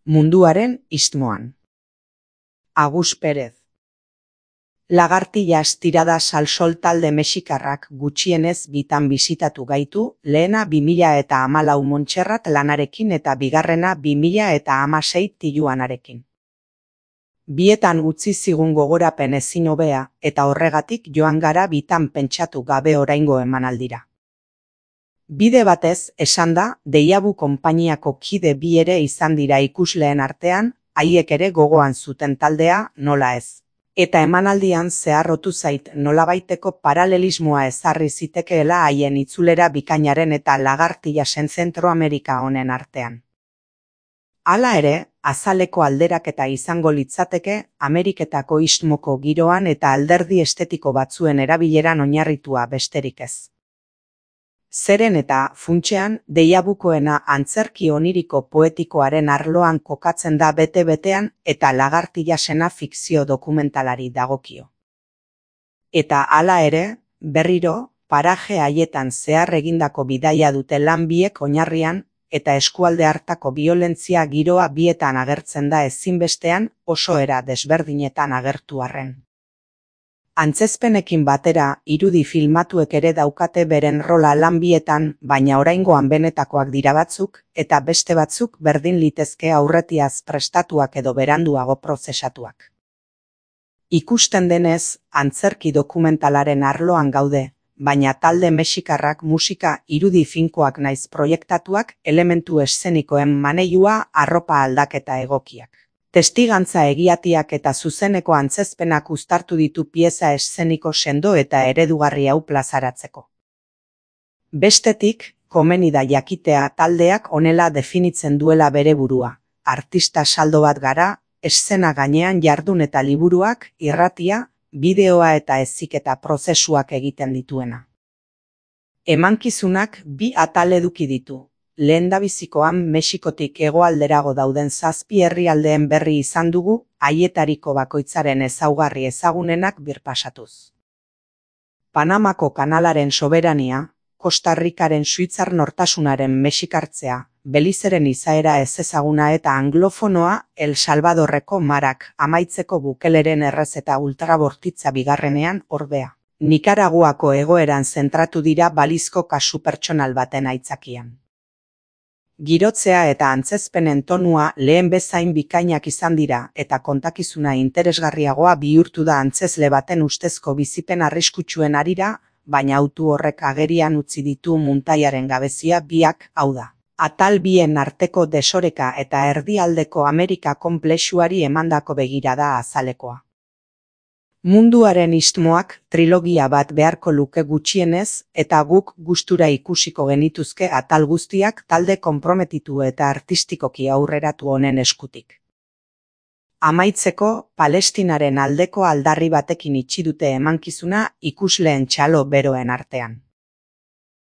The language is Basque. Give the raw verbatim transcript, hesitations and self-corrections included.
Munduaren istmoan. Agus Perez. Lagartillas tiradas al sol talde mexikarrak gutxienez bitan bisitatu gaitu, lehena bi mila eta hamalau Montserrat lanarekin eta bigarrena bi mila eta hamasei Tijuanarekin. Bietan utzi zigun gogorapen ezin hobea eta horregatik joan gara bitan pentsatu gabe oraingo emanaldira. Bide batez, esan da, Deiabu konpainiako kide bi ere izan dira ikusleen artean, haiek ere gogoan zuten taldea, nola ez. Eta emanaldian zeharrotu zait nolabaiteko paralelismoa ezarri zitekeela haien itzulera bikainaren eta Lagartillasen Zentroamerika honen artean. Hala ere, azaleko alderaketa izango litzateke Ameriketako istmoko giroan eta alderdi estetiko batzuen erabileran oinarritua besterik ez. Zeren eta, funtsean, Deiabukoena antzerki oniriko poetikoaren arloan kokatzen da bete-betean eta Lagartillasena fikzio dokumentalari dagokio. Eta hala ere, berriro, paraje haietan zehar egindako bidaia dute lan biek oinarrian eta eskualde hartako biolentzia giroa bietan agertzen da ezinbestean oso era desberdinetan agertu arren. Antzezpenekin batera, irudi filmatuek ere daukate beren rola lan bietan, baina oraingoan benetakoak dira batzuk, eta beste batzuk berdin litezke aurretiaz prestatuak edo beranduago prozesatuak. Ikusten denez, antzerki dokumentalaren arloan gaude, baina talde mexikarrak musika irudi finkoak naiz proiektatuak elementu eszenikoen maneiua arropa aldaketa egokiak. Testigantza egiatiak eta zuzeneko antzezpenak uztartu ditu pieza eszeniko sendo eta eredugarri hau plazaratzeko. Bestetik, komeni da jakitea taldeak honela definitzen duela bere burua, artista saldo bat gara, eszena gainean jardun eta liburuak, irratia, bideoa eta heziketa prozesuak egiten dituena. Emankizunak bi atal eduki ditu. Lehendabizikoan Mexikotik hegoalderago dauden zazpi herrialdeen berri izan dugu, haietariko bakoitzaren ezaugarri ezagunenak birpasatuz. Panamako kanalaren soberania, Costa Ricaren suitzar nortasunaren mexikartzea, Belizeren izaera ezezaguna eta anglofonoa El Salvadorreko marak amaitzeko Bukeleren errezeta ultrabortitza bigarrenean ordea. Nikaraguako egoeran zentratu dira balizko kasu pertsonal baten aitzakian. Girotzea eta antzezpenen tonua lehen bezain bikainak izan dira eta kontakizuna interesgarriagoa bihurtu da antzezle baten ustezko bizipen arriskutsuen harira, baina autu horrek agerian utzi ditu muntaiaren gabezia biak, hau da. Atal bien arteko desoreka eta erdialdeko Amerika konplexuari emandako begirada azalekoa. Munduaren istmoak trilogia bat beharko luke gutxienez eta guk gustura ikusiko genituzke atal guztiak talde konprometitu eta artistikoki aurreratu honen eskutik. Amaitzeko, Palestinaren aldeko aldarri batekin itxi dute emankizuna ikusleen txalo beroen artean.